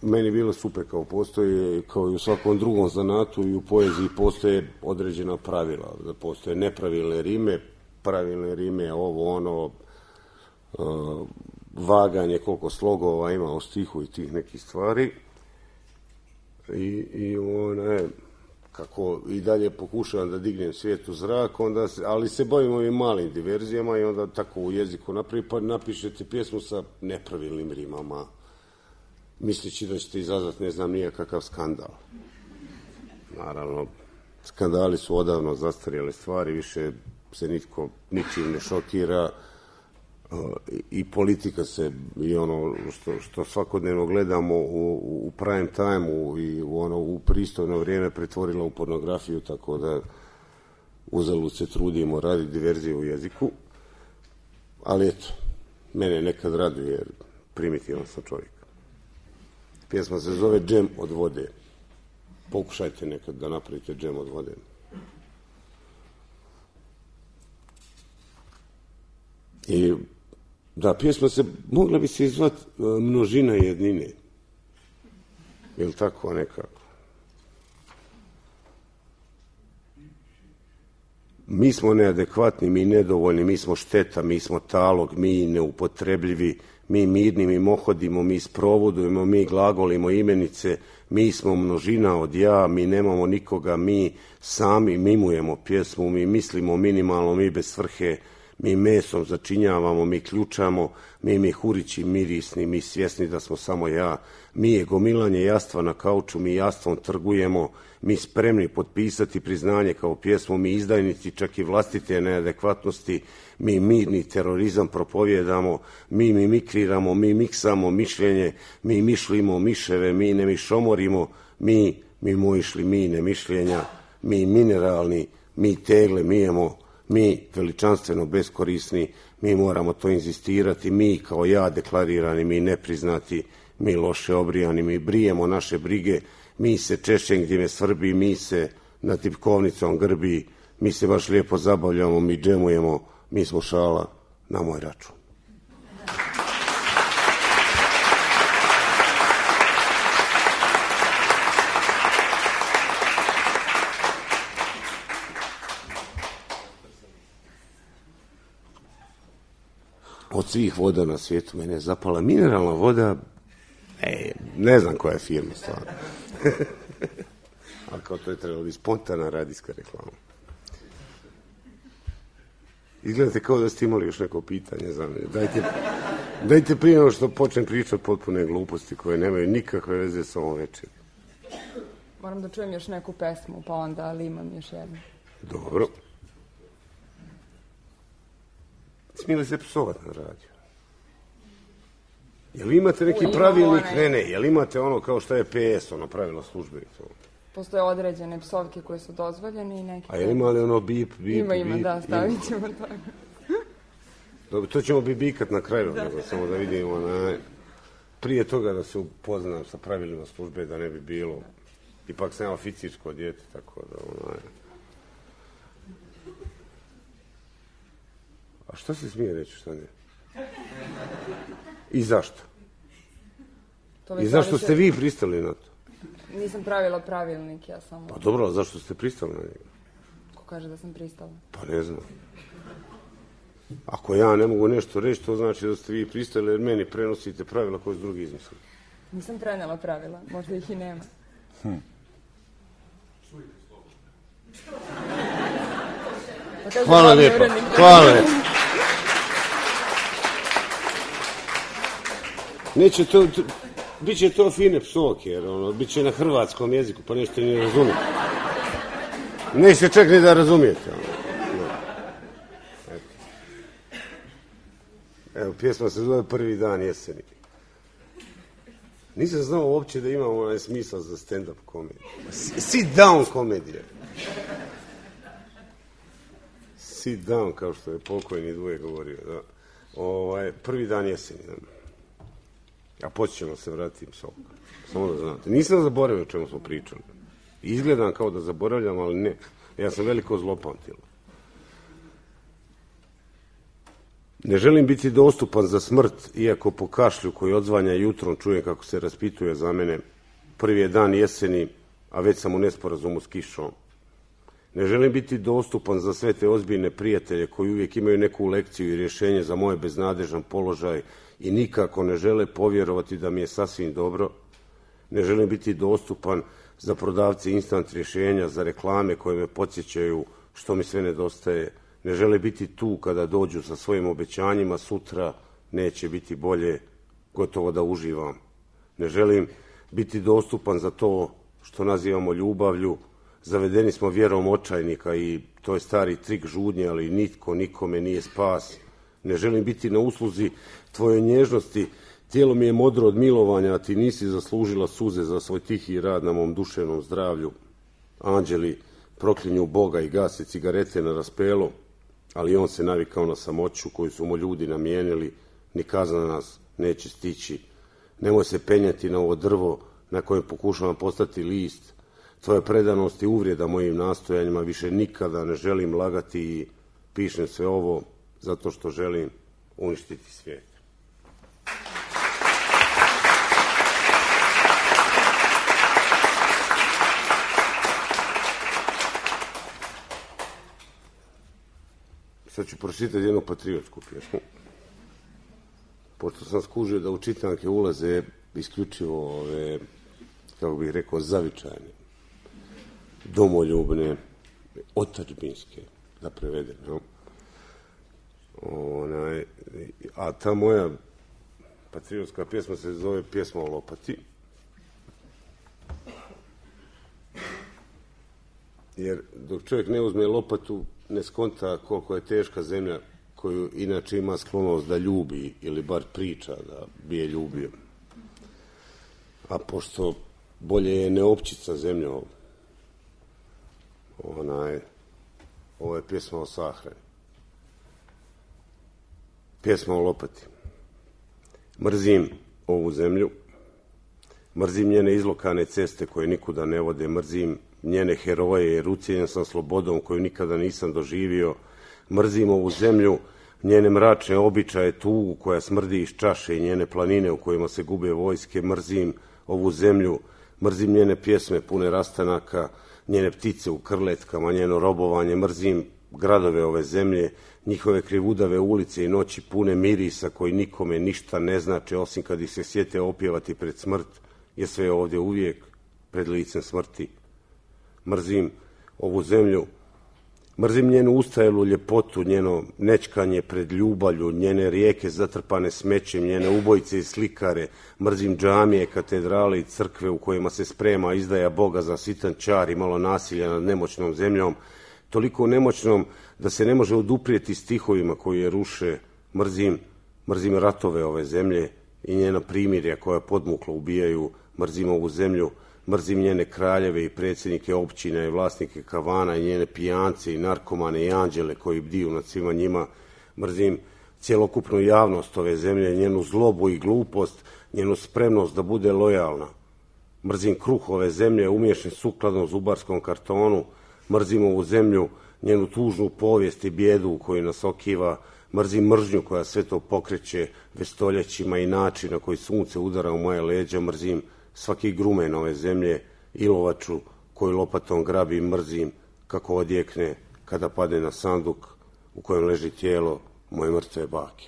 Meni bilo super, kao postoji, kao i u svakom drugom zanatu i u poeziji postoje određena pravila, da postoje nepravilne rime, pravilne rime, ovo, ono, uh, vaganje, koliko slogova ima u stihu i tih nekih stvari. I, i one, kako i dalje pokušavam da dignem svijet u zrak, onda se, ali se bavim ovim malim diverzijama i onda tako u jeziku napravi, pa napišete pjesmu sa nepravilnim rimama, misleći da ćete izazvati ne znam nijakakav skandal. Naravno, skandali su odavno zastarjele stvari, više se nitko ničim ne šokira i politika se i ono što, što svakodnevno gledamo u, u prime time-u i u, ono, u pristojno vrijeme pretvorila u pornografiju, tako da uzalud se trudimo raditi diverziju u jeziku. Ali eto, mene nekad raduje jer primitivan sam čovjek. Pjesma se zove Džem od vode. Pokušajte nekad da napravite džem od vode. I da, pjesma se, mogla bi se izvati Množina jednine. Je li tako nekako? Mi smo neadekvatni, mi nedovoljni, mi smo šteta, mi smo talog, mi neupotrebljivi, mi mirni, mi mohodimo, mi sprovodujemo, mi glagolimo imenice, mi smo množina od ja, mi nemamo nikoga, mi sami mimujemo pjesmu, mi mislimo minimalno, mi bez svrhe, mi mesom začinjavamo, mi ključamo, mi mihurići mirisni, mi svjesni da smo samo ja, mi je gomilanje jastva na kauču, mi jastvom trgujemo, mi spremni potpisati priznanje kao pjesmu, mi izdajnici čak i vlastite neadekvatnosti, mi mirni terorizam propovjedamo, mi mimikriramo, mi miksamo mišljenje, mi mišlimo miševe, mi ne mišomorimo, mi mimoišli mine mišljenja, mi mineralni, mi tegle mijemo, mi veličanstveno beskorisni, mi moramo to inzistirati, mi kao ja deklarirani, mi nepriznati, mi loše obrijani, mi brijemo naše brige, mi se češćem gdje me svrbi, mi se na tipkovnicom grbi, mi se baš lijepo zabavljamo, mi džemujemo, mi smo šala na moj račun. Od svih voda na svijetu mene je zapala mineralna voda, e, ne znam koja je firma stvarno. Ali kao to je trebalo biti spontana radijska reklama. Izgledate kao da ste imali još neko pitanje za mene. Dajte, dajte prije nego što počnem pričati potpune gluposti koje nemaju nikakve veze s ovom večeri. Moram da čujem još neku pesmu, pa onda, ali imam još jednu. Dobro. Smije li se psovati na radiju? Jel imate neki U, pravilnik? onaj... Ne, ne, jel imate ono kao što je P S, ono pravilo službe? Postoje određene psovke koje su dozvoljene i neke... A jel ima li ono bip, bip, ima, bip? Ima, ima, da, stavit ćemo to. Dobro, to ćemo bibikat na kraju, da. Nego, samo da vidimo. Na... Prije toga da se upoznam sa pravilima službe, da ne bi bilo... Ipak sam ja oficirsko dijete, tako da... Onaj... A šta se smije reći, šta ne? I zašto? I zašto ste vi pristali na to? Nisam pravila pravilnik, ja samo... Pa dobro, a zašto ste pristali na njega? Ko kaže da sam pristala? Pa ne znam. Ako ja ne mogu nešto reći, to znači da ste vi pristali jer meni prenosite pravila koje su drugi izmislili. Nisam prenela pravila, možda ih i nema. Hm. Pa hvala lijepo, hvala lijepo. Neće to, to, bit će to fine psovke, jer ono, bit će na hrvatskom jeziku, pa nećete ni razumjeti. Nećete čak ni da razumijete. Evo, pjesma se zove Prvi dan jeseni. Nisam znao uopće da imamo onaj smisla za stand-up komediju. Sit down komedija. Sit down, kao što je pokojni Dvoje govorio. Da. Ovaj, prvi dan jeseni. Da. A poći ćemo se vratiti s ovoga. Samo da znate. Nisam zaboravio o čemu smo pričali. Izgledam kao da zaboravljam, ali ne. Ja sam veliko zlopamtilo. Ne želim biti dostupan za smrt, iako po kašlju koji odzvanja jutrom čujem kako se raspituje za mene. Prvi je dan jeseni, a već sam u nesporazumu s kišom. Ne želim biti dostupan za sve te ozbiljne prijatelje koji uvijek imaju neku lekciju i rješenje za moj beznadežan položaj i nikako ne žele povjerovati da mi je sasvim dobro. Ne želim biti dostupan za prodavce instant rješenja, za reklame koje me podsjećaju što mi sve nedostaje. Ne žele biti tu kada dođu sa svojim obećanjima, sutra neće biti bolje, gotovo da uživam. Ne želim biti dostupan za to što nazivamo ljubavlju. Zavedeni smo vjerom očajnika i to je stari trik žudnje, ali nitko nikome nije spas. Ne želim biti na usluzi tvoje nježnosti. Tijelo mi je modro od milovanja, a ti nisi zaslužila suze za svoj tihi rad na mom duševnom zdravlju. Anđeli proklinju Boga i gase cigarete na raspelu, ali on se navikao na samoću koju su mu ljudi namijenili. Ni kazna nas neće stići. Nemoj se penjati na ovo drvo na kojem pokušavam postati list. Tvoja predanost i uvrijeda mojim nastojanjima, više nikada ne želim lagati i pišem sve ovo zato što želim uništiti svijet. Sad ću pročitati jednu patriotsku pjesmu. Pošto sam skužio da u čitanke ulaze isključivo ove, kako bih rekao, zavičajne, domoljubne, otadžbinske, da prevedem. No? Onaj, a ta moja patriotska pjesma se zove Pjesma o lopati. Jer dok čovjek ne uzme lopatu, ne skonta koliko je teška zemlja koju inače ima sklonost da ljubi ili bar priča da bi je ljubio. A pošto bolje je neopćica zemlja, ona je, ovo je pjesma o sahrani. Pjesma o lopati. Mrzim ovu zemlju, mrzim njene izlokane ceste koje nikuda ne vode, mrzim njene heroje jer ucijenjen sam slobodom koju nikada nisam doživio, mrzim ovu zemlju, njene mračne običaje, tugu koja smrdi iz čaše i njene planine u kojima se gube vojske, mrzim ovu zemlju, mrzim njene pjesme pune rastanaka, njene ptice u krletkama, njeno robovanje, mrzim gradove ove zemlje, njihove krivudave ulice i noći pune mirisa koji nikome ništa ne znače osim kad ih se sjete opjevati pred smrt, jer sve je ovdje uvijek pred licem smrti. Mrzim ovu zemlju, mrzim njenu ustajelu ljepotu, njeno nečkanje pred ljubavlju, njene rijeke zatrpane smećem, njene ubojice i slikare, mrzim džamije, katedrale i crkve u kojima se sprema izdaja Boga za sitan čar i malo nasilja nad nemoćnom zemljom, toliko nemoćnom da se ne može oduprijeti stihovima koji je ruše. Mrzim, mrzim ratove ove zemlje i njena primirja koja podmuklo ubijaju, mrzim ovu zemlju, mrzim njene kraljeve i predsjednike općina i vlasnike kavana i njene pijance i narkomane i anđele koji bdiju nad svima njima, mrzim cjelokupnu javnost ove zemlje, njenu zlobu i glupost, njenu spremnost da bude lojalna. Mrzim kruh ove zemlje umješan sukladno zubarskom kartonu, mrzim ovu zemlju, njenu tužnu povijest i bijedu u kojoj nas okiva, mrzim mržnju koja sve to pokreće već stoljećima i način na koji sunce udara u moje leđa, mrzim svaki grumen ove zemlje, ilovaču koju lopatom grabi, mrzim kako odjekne kada padne na sanduk u kojem leži tijelo moje mrtve bake.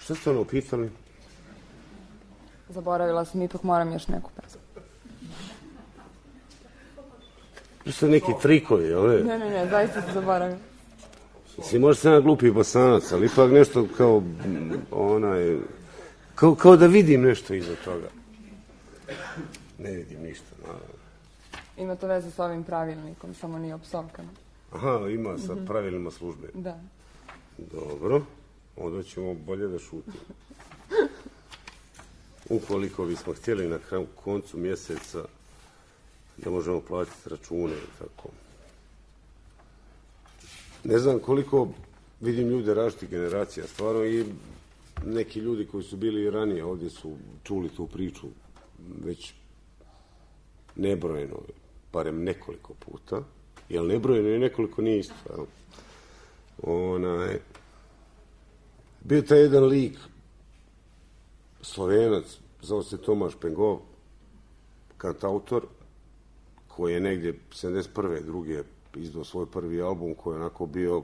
Što ste ono pitali? Zaboravila sam, ipak moram još neku pesmu. To su neki trikovi, ove? Ne, ne, ne, zaista se zaboravim. Mislim, možda sam ja glupi bosanac, ali ipak nešto kao, onaj, kao, kao da vidim nešto iza toga. Ne vidim ništa, naravno. Ima to veze s ovim pravilnikom, samo nije o psovkama. Aha, ima sa pravilima službe. Da. Dobro, onda ćemo bolje da šutimo. Ukoliko bismo htjeli na koncu mjeseca da možemo platiti račune i tako. Ne znam koliko vidim ljude različitih generacija, stvarno, i neki ljudi koji su bili ranije ovdje su čuli tu priču već nebrojeno, barem nekoliko puta, jer nebrojeno i nekoliko nije isto. Onaj, bio taj jedan lik, Slovenac, zvao se Tomaš Pengov, kantautor, koji je negdje sedamdeset prve druge izdao svoj prvi album, koji je onako bio,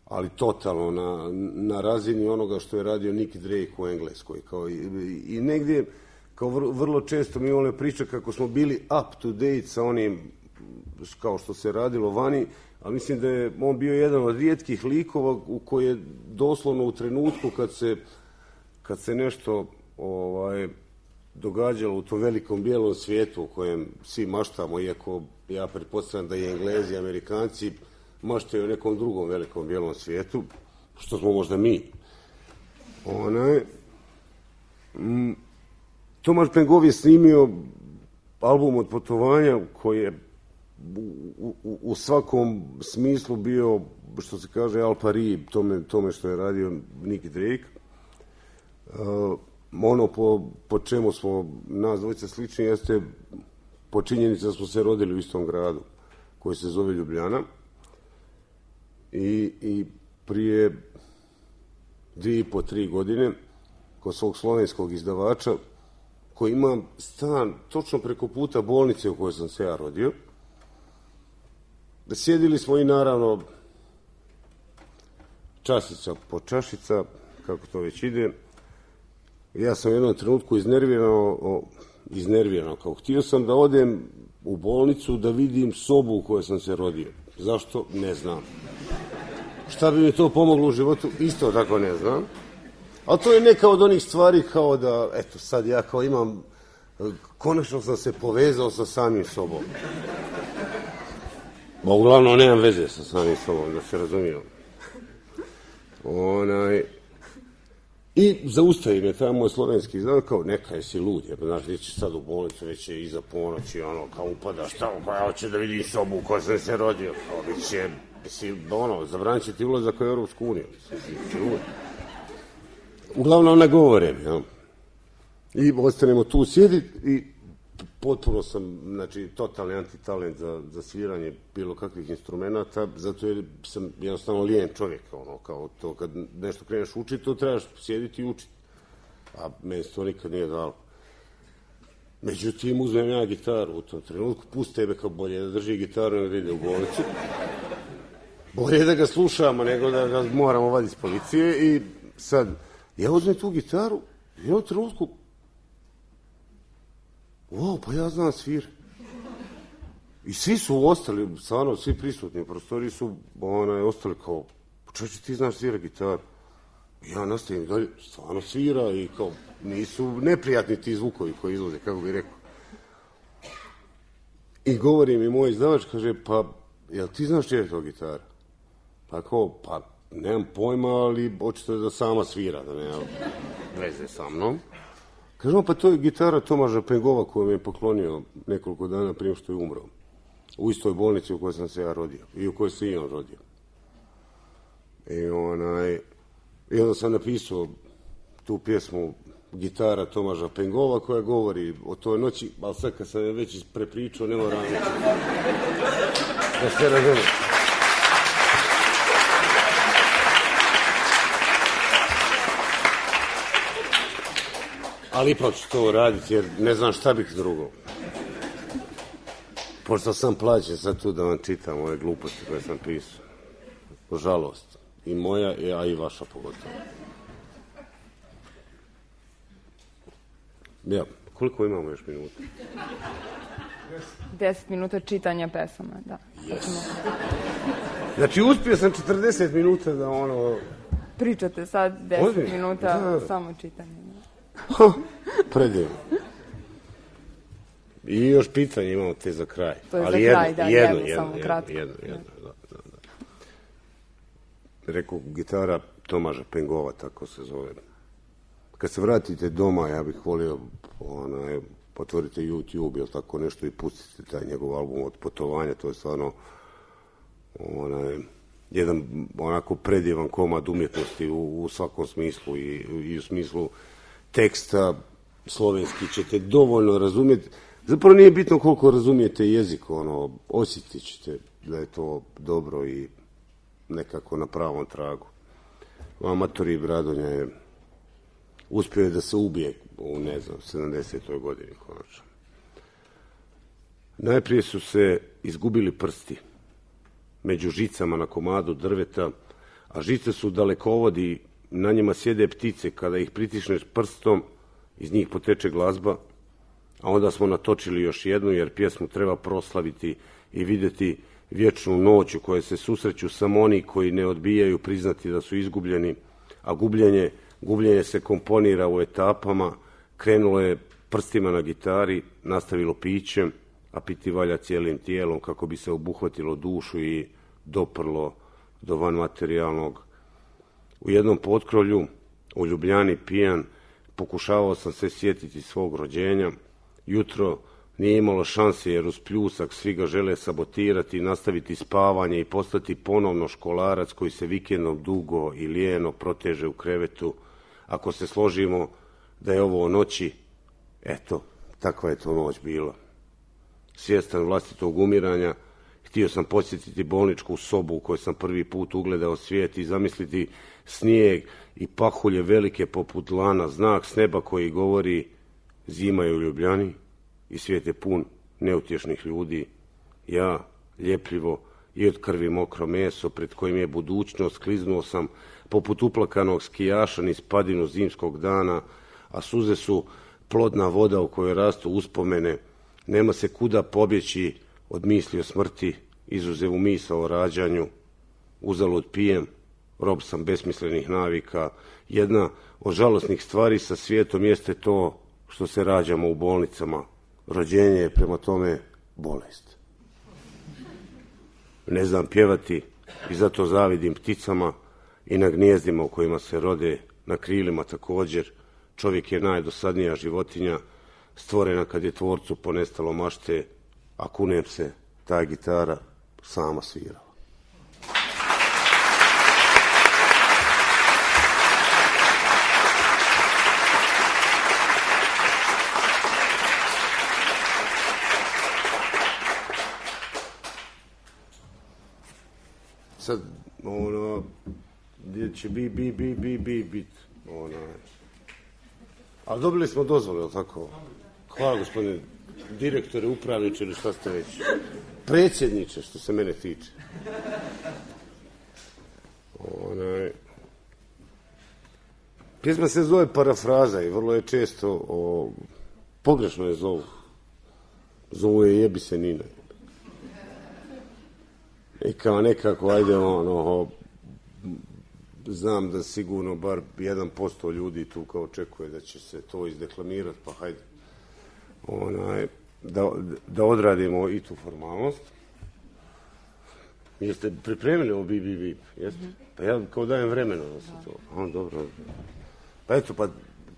ali totalno na, na razini onoga što je radio Nick Drake u Engleskoj. Kao i, i negdje, kao vrlo, vrlo često mi one priče kako smo bili up to date sa onim kao što se radilo vani, ali mislim da je on bio jedan od rijetkih likova u koji je doslovno u trenutku kad se, kad se nešto ovaj, događalo u tom velikom bijelom svijetu u kojem svi maštamo, iako ja pretpostavljam da i Englezi i Amerikanci maštaju u nekom drugom velikom bijelom svijetu, što smo možda mi. Onaj, mm, Tomaš Pengov je snimio album Od putovanja koji je u, u, u svakom smislu bio, što se kaže, al pari tome, tome što je radio Nick Drake. Uh, ono po, po čemu smo nas dvojica slični jeste po činjenici da smo se rodili u istom gradu koji se zove Ljubljana i, i prije dvije i po, tri godine kod svog slovenskog izdavača koji ima stan točno preko puta bolnice u kojoj sam se ja rodio, da sjedili smo i naravno časica po čašica, kako to već ide. Ja sam u jednom trenutku iznervirano, iznervirano, kao htio sam da odem u bolnicu da vidim sobu u kojoj sam se rodio. Zašto? Ne znam. Šta bi mi to pomoglo u životu? Isto tako ne znam. Ali to je neka od onih stvari kao da, eto, sad ja kao imam, konačno sam se povezao sa samim sobom. Ba, uglavnom, nemam veze sa samim sobom, da se razumijem. Onaj... I zaustavi me taj moj slovenski izdavač, kao neka jesi lud, jer znaš, neće sad u bolnicu, već je iza ponoći, ono, kao upada, šta, pa ja hoću da vidim sobu u kojoj sam se rodio, kao bit će, si, ono, zabranit će ti ulazak u Europsku uniju, si lud. Uglavnom ne govore, ja. I ostanemo tu sjediti i potpuno sam, znači, totalni antitalent za, za sviranje bilo kakvih instrumenta, zato jer sam jednostavno lijen čovjek, ono, kao to, kad nešto kreneš učiti, to trebaš sjediti i učiti. A meni se to nikad nije dalo. Međutim, uzmem ja gitaru u tom trenutku, pusti tebe kao bolje da drži gitaru nego da ide u bolnicu. Bolje da ga slušamo nego da ga moramo vaditi iz policije i sad, ja uzmem tu gitaru i u trenutku wow, pa ja znam svir. I svi su ostali, stvarno, svi prisutni u prostoriji su onaj, ostali kao, čovječe, ti znaš svira gitaru. Ja nastavim dalje, stvarno svira i kao, nisu neprijatni ti zvukovi koji izlaze, kako bih rekao. I govori mi moj izdavač, kaže, pa, jel ti znaš čije je to gitara? Pa kao, pa, nemam pojma, ali očito da sama svira, da nema veze sa mnom. Kažemo, pa to je gitara Tomaža Pengova koju mi je poklonio nekoliko dana prije što je umro. U istoj bolnici u kojoj sam se ja rodio i u kojoj se i on rodio. I, onaj, i onda sam napisao tu pjesmu Gitara Tomaža Pengova koja govori o toj noći, ali sad kad sam je već prepričao, ne moram reći. Da se razumije. Ali ipak ću to raditi jer ne znam šta bih drugo. Pošto sam plaćen sad tu da vam čitam ove gluposti koje sam pisao. Žalost. I moja, a i vaša pogotovo. Ja, koliko imamo još minuta? Deset minuta čitanja pesama, da. Yes. Znači, uspio sam četrdeset minuta da ono... Pričate sad deset Ozmi? minuta, Da. samo čitanje. Predivno. I još pitanje imamo te za kraj. To je ali za jedno, kraj, da, jedno, jedno, jedno, samo jedno, kratko. jedno, jedno, da, da, da. Rekao, gitara Tomaža Pengova, tako se zove. Kad se vratite doma, ja bih volio, onaj, otvorite YouTube ili tako nešto i pustite taj njegov album Od putovanja, to je stvarno onaj, jedan onako predivan komad umjetnosti u, u svakom smislu i, i u smislu teksta slovenski ćete dovoljno razumjeti. Zapravo nije bitno koliko razumijete jezik, ono, osjetit ćete da je to dobro i nekako na pravom tragu. Amatori Bradonja je uspio je da se ubije u, ne znam, sedamdesetoj godini konačno. Najprije su se izgubili prsti među žicama na komadu drveta, a žice su dalekovodi, na njima sjede ptice, kada ih pritišneš prstom, iz njih poteče glazba, a onda smo natočili još jednu, jer pjesmu treba proslaviti i vidjeti vječnu noć u kojoj se susreću samo oni koji ne odbijaju priznati da su izgubljeni, a gubljenje, gubljenje se komponira u etapama, krenulo je prstima na gitari, nastavilo pićem, a piti valja cijelim tijelom kako bi se obuhvatilo dušu i doprlo do vanmaterijalnog. U jednom potkrovlju, u Ljubljani pijan, pokušavao sam se sjetiti svog rođenja. Jutro nije imalo šanse jer uz pljusak svi ga žele sabotirati, nastaviti spavanje i postati ponovno školarac koji se vikendom dugo i lijeno proteže u krevetu. Ako se složimo da je ovo o noći, eto, takva je to noć bila. Svjestan vlastitog umiranja, htio sam posjetiti bolničku sobu u kojoj sam prvi put ugledao svijet i zamisliti snijeg i pahulje velike poput lana, znak s neba koji govori zima je u Ljubljani i svijet je pun neutješnih ljudi. Ja, ljepljivo i od krvi mokro meso pred kojim je budućnost, kliznuo sam poput uplakanog skijaša niz padinu zimskog dana, a suze su plodna voda u kojoj rastu uspomene. Nema se kuda pobjeći od misli o smrti, izuzev u misao o rađanju. Uzalud pijem, rob sam besmislenih navika. Jedna od žalosnih stvari sa svijetom jeste to što se rađamo u bolnicama. Rođenje je prema tome bolest. Ne znam pjevati i zato zavidim pticama i na gnjezdima u kojima se rode, na krilima također. Čovjek je najdosadnija životinja, stvorena kad je tvorcu ponestalo mašte, a kunem se, ta gitara sama svirala. Sad, ono, gdje će bi, bi, bi, bi, bi, bit, ono, ali dobili smo dozvole, jel tako? Hvala, gospodine direktore, upravniče ili šta ste već. Predsjedniče, što se mene tiče. Onaj... Pjesma se zove Parafraza i vrlo je često o... pogrešno je zovu. Zovu je Jebi se Nina. I kao nekako, ajde, ono, znam da sigurno bar jedan posto ljudi tu kao očekuje da će se to izdeklamirati, pa hajde, onaj, da, da odradimo i tu formalnost. Jeste pripremili ovo bi, bi, bi, jeste? Pa ja kao dajem vremena da se to, a, dobro. Pa eto, pa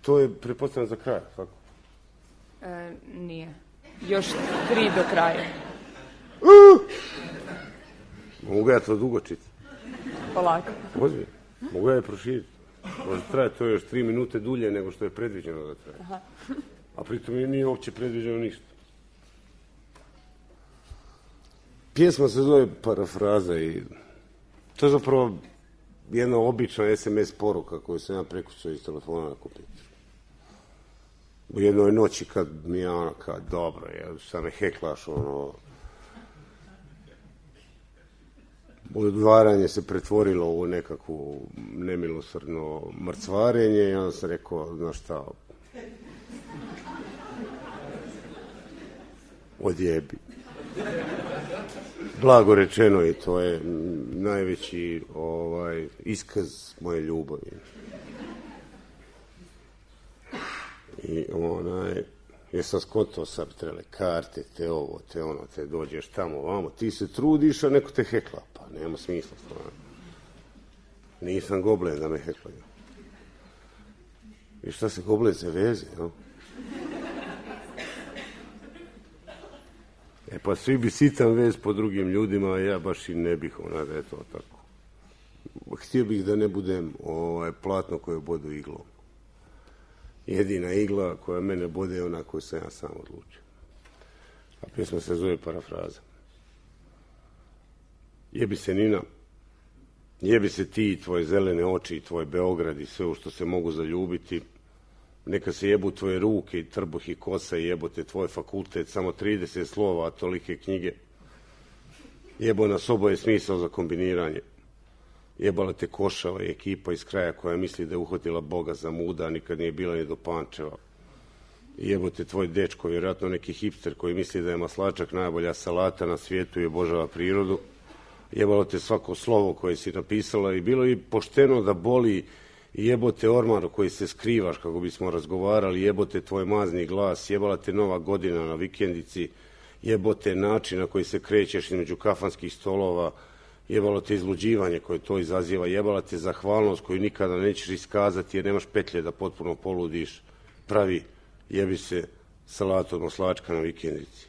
to je pretpostavljeno za kraj, tako? E, nije. Još tri do kraja. Uh! Mogu ja to dugo čitati? Polako. Ozbiljno. Mogu ja je proširiti. Može trajati to još tri minute dulje nego što je predviđeno da traje. Aha. A pritom nije uopće predviđeno ništa. Pjesma se zove Parafraza i to je zapravo jedna obična es em es poruka koju sam ja prekucao iz telefona na kompjuteru. U jednoj noći kad mi je ono kao dobro, ja sam me heklaš, ono, odvaranje se pretvorilo u nekakvu nemilosrdno mrcvarenje i onda sam rekao, znaš šta, odjebi. Blago rečeno, i to je najveći ovaj, iskaz moje ljubavi. I onaj, jesam skontao sad trebale karte, te ovo, te ono, te dođeš tamo, vamo, ti se trudiš, a neko te hekla, pa nema smisla stvarno. Nisam goblen da me heklaju. I šta se goblen se veze, no? E pa svi bi sitan vez po drugim ljudima, a ja baš i ne bih, ona da je to tako. Htio bih da ne budem ovaj, platno koje bodu iglom. Jedina igla koja mene bode je ona koju sam ja sam odlučio. A pjesma se zove Parafraza. Jebi se Nina, jebi se ti, tvoje zelene oči, tvoj Beograd i sve u što se mogu zaljubiti. Neka se jebu tvoje ruke i trbuh i kosa i jebote tvoj fakultet, samo trideset slova, a tolike knjige. Jebo nas oboje smisao za kombiniranje. Jebala te Košava i ekipa iz kraja koja misli da je uhvatila Boga za muda, a nikad nije bila ni do Pančeva. Jebote tvoj dečko, vjerojatno neki hipster koji misli da je maslačak najbolja salata na svijetu i obožava prirodu. Jebalo te svako slovo koje si napisala i bilo i pošteno da boli. Jebote ormar koji se skrivaš kako bismo razgovarali, jebote tvoj mazni glas, jebala te nova godina na vikendici, jebote način na koji se krećeš između kafanskih stolova, jebalo te izluđivanje koje to izaziva, jebala te zahvalnost koju nikada nećeš iskazati jer nemaš petlje da potpuno poludiš, pravi jebi se salatu od maslačka na vikendici.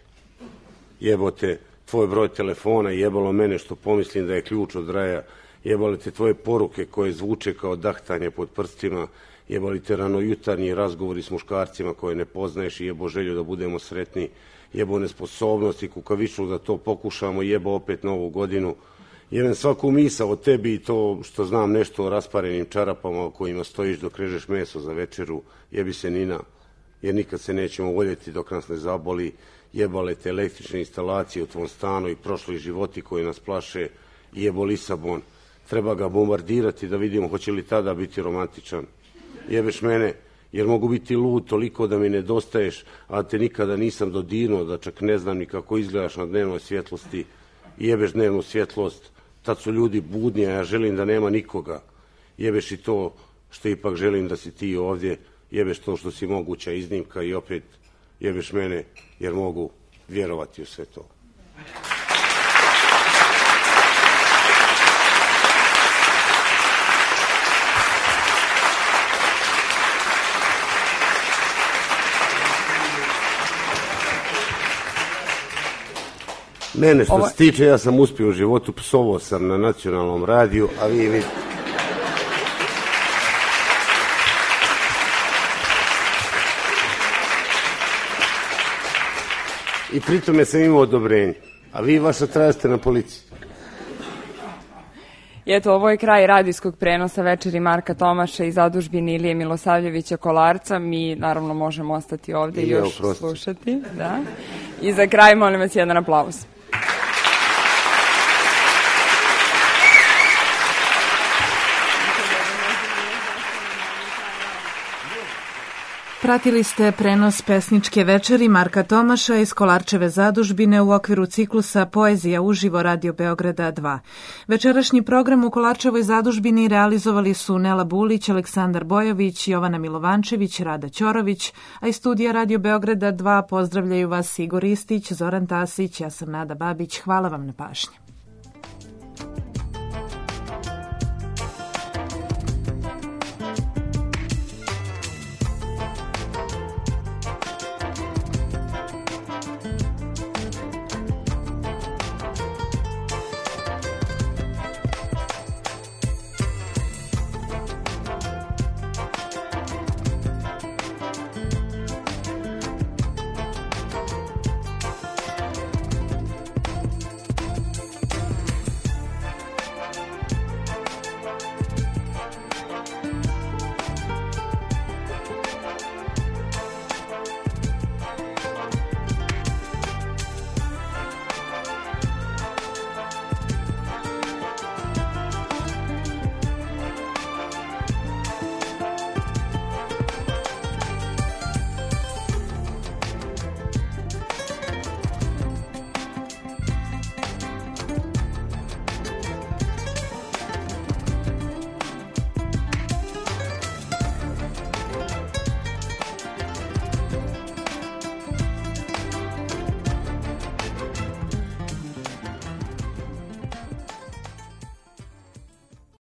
Jebote tvoj broj telefona, jebalo mene što pomislim da je ključ od raja, jebali te tvoje poruke koje zvuče kao dahtanje pod prstima, jebali te ranojutarnji razgovori s muškarcima koje ne poznaješ i jebo želju da budemo sretni, jebo nesposobnost i kukavičluk da to pokušamo, jebo opet novu godinu, jebem svaku misao o tebi i to što znam nešto o rasparenim čarapama o kojima stojiš dok režeš meso za večeru, jebi se Nina, jer nikad se nećemo voljeti dok nas ne zaboli, jebale te električne instalacije u tvom stanu i prošli životi koji nas plaše, jebo Lisabon. Treba ga bombardirati da vidimo hoće li tada biti romantičan. Jebeš mene, jer mogu biti lud toliko da mi nedostaješ, a te nikada nisam dodirnuo, da čak ne znam ni kako izgledaš na dnevnoj svjetlosti. Jebeš dnevnu svjetlost, tad su ljudi budni, a ja želim da nema nikoga. Jebeš i to što ipak želim da si ti ovdje, jebeš to što si moguća iznimka i opet jebeš mene, jer mogu vjerovati u sve to. Mene što Ovo... se tiče, ja sam uspio u životu, psovao sam na nacionalnom radiju, a vi vidite. I pritome sam imao odobrenje, a vi vaša tražite na policiji. I eto, ovo je kraj radijskog prenosa Večeri Marka Tomaša i zadužbine Ilije Milosavljevića Kolarca. Mi naravno možemo ostati ovdje i još oprosti. slušati. Da. I za kraj molim vas jedan aplauz. Pratili ste prenos pesničke večeri Marka Tomaša iz Kolarčeve zadužbine u okviru ciklusa Poezija uživo Radio Beograda dva. Večerašnji program u Kolarčevoj zadužbini realizovali su Nela Bulić, Aleksandar Bojović, Jovana Milovančević, Rada Ćorović, a iz studija Radio Beograda dva pozdravljaju vas Igor Istić, Zoran Tasić, ja sam Nada Babić. Hvala vam na pažnji.